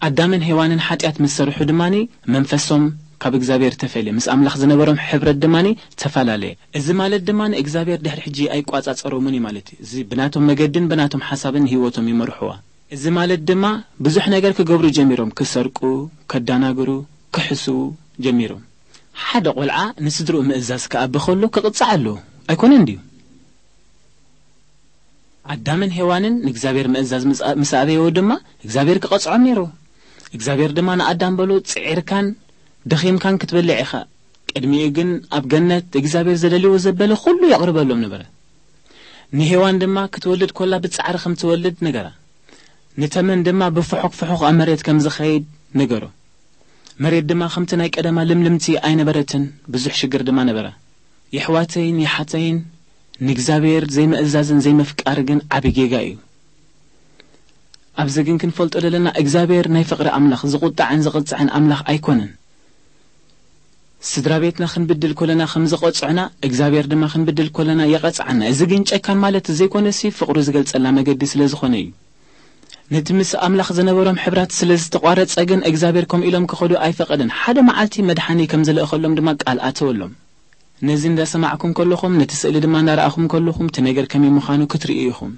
ኣዳምን ሄዋንን ሓጢኣት ምስ ሰርሑ ድማ መንፈሶም ካብ እግዚኣብሔር ተፈልየ፣ ምስ ኣምላኽ ዝነበሮም ሕብረት ድማ ተፈላለየ። እዚ ማለት ድማ እግዚኣብሔር ድሕሪ ሕጂ ኣይቋጻጸሮምን እዩ ማለት እዩ። እዚ ብናቶም መገድን ብናቶም ሓሳብን ህይወቶም ይመርሕዋ። እዚ ማለት ድማ ብዙሕ ነገር ክገብሩ ጀሚሮም፣ ክሰርቁ፣ ከዳናግሩ፣ ክሕስዉ ጀሚሮም። ሓደ ቆልዓ ንስድርኡ ምእዛዝ ክኣቢ ከሎ ክቕጻዕ ኣለዎ ኣይኮነን ድዩ? ኣዳምን ሄዋንን ንእግዚኣብሔር ምእዛዝ ምስ ኣበየዎ ድማ እግዚኣብሔር ክቐጽዖም ነይሩ። እግዚኣብሔር ድማ ንኣዳም በሎ፣ ጽዒርካን ደኺምካን ክትበልዕ ኢኻ። ቅድሚኡ ግን ኣብ ገነት እግዚኣብሔር ዘደልይዎ ዘበለ ኩሉ የቕርበሎም ነበረ። ንሄዋን ድማ ክትወልድ ኮላ ብጻዕሪ ከም ትወልድ ነገራ። ንተመን ድማ ብፍሑኽ ፍሑኽ ኣብ መሬት ከም ዝኸይድ ነገሮ። መሬት ድማ ከምቲ ናይ ቀደማ ልምልምቲ ኣይነበረትን፣ ብዙሕ ሽግር ድማ ነበረ። የሕዋተይን የሓተይን፣ ንእግዚኣብሔር ዘይምእዛዝን ዘይምፍቃር ግን ዓቢ ጌጋ እዩ። ኣብዚ ግን ክንፈልጦ ዘለና እግዚኣብሔር ናይ ፍቕሪ ኣምላኽ፣ ዝቑጣዕን ዝቕጽዕን ኣምላኽ ኣይኮነን። ስድራ ቤትና ክንብድል ኮለና ከም ዝቐጽዑና እግዚኣብሔር ድማ ክንብድል ኮለና የቐጽዓና። እዚ ግን ጨካን ማለት ዘይኮነሲ ፍቕሩ ዝገልጸልና መገዲ ስለ ዝኾነ እዩ። ነቲ ምስ ኣምላኽ ዝነበሮም ሕብራት ስለ ዝተቋረጸ ግን እግዚኣብሔር ከምኡ ኢሎም ክኸዱ ኣይፈቐደን። ሓደ መዓልቲ መድሓኒ ከም ዝልእኸሎም ድማ ቃል ኣተወሎም። ነዚ እንዳሰማዕኩም ከለኹም፣ ነቲ ስእሊ ድማ እንዳረኣኹም ከለኹም፣ እቲ ነገር ከመይ ምዃኑ ክትርእዩ ኢኹም።